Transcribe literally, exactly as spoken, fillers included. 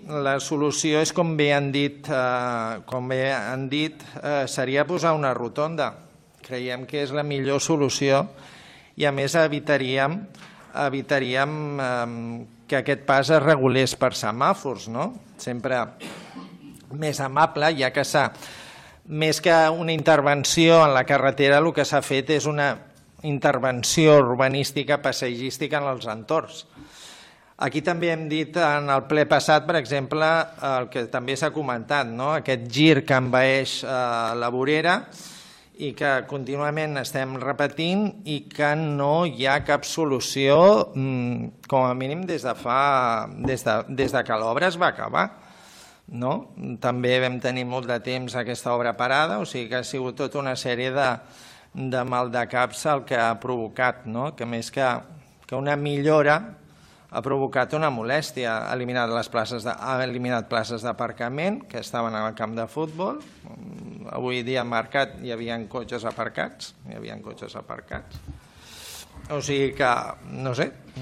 la solució és, com bé han dit, com bé han dit, seria posar una rotonda. Creiem que és la millor solució i, a més, evitaríem, evitaríem que aquest pas es regulés per semàfors, no? Sempre més amable, ja que s'ha, més que una intervenció en la carretera, el que s'ha fet és una intervenció urbanística, paisatgística en els entorns. Aquí també hem dit en el ple passat, per exemple, el que també s'ha comentat, no? Aquest gir que envaeix la vorera i que contínuament estem repetint i que no hi ha cap solució, com a mínim des de fa, des de, des de que l'obra es va acabar. No? També vam tenir molt de temps aquesta obra parada, o sigui que ha sigut tota una sèrie de, de maldecaps el que ha provocat, no? Que més que, que una millora ha provocat una molèstia. Ha eliminat, les places de, ha eliminat places d'aparcament que estaven al camp de futbol. Avui dia al mercat hi havia cotxes aparcats, hi havia cotxes aparcats. O sigui que, no sé,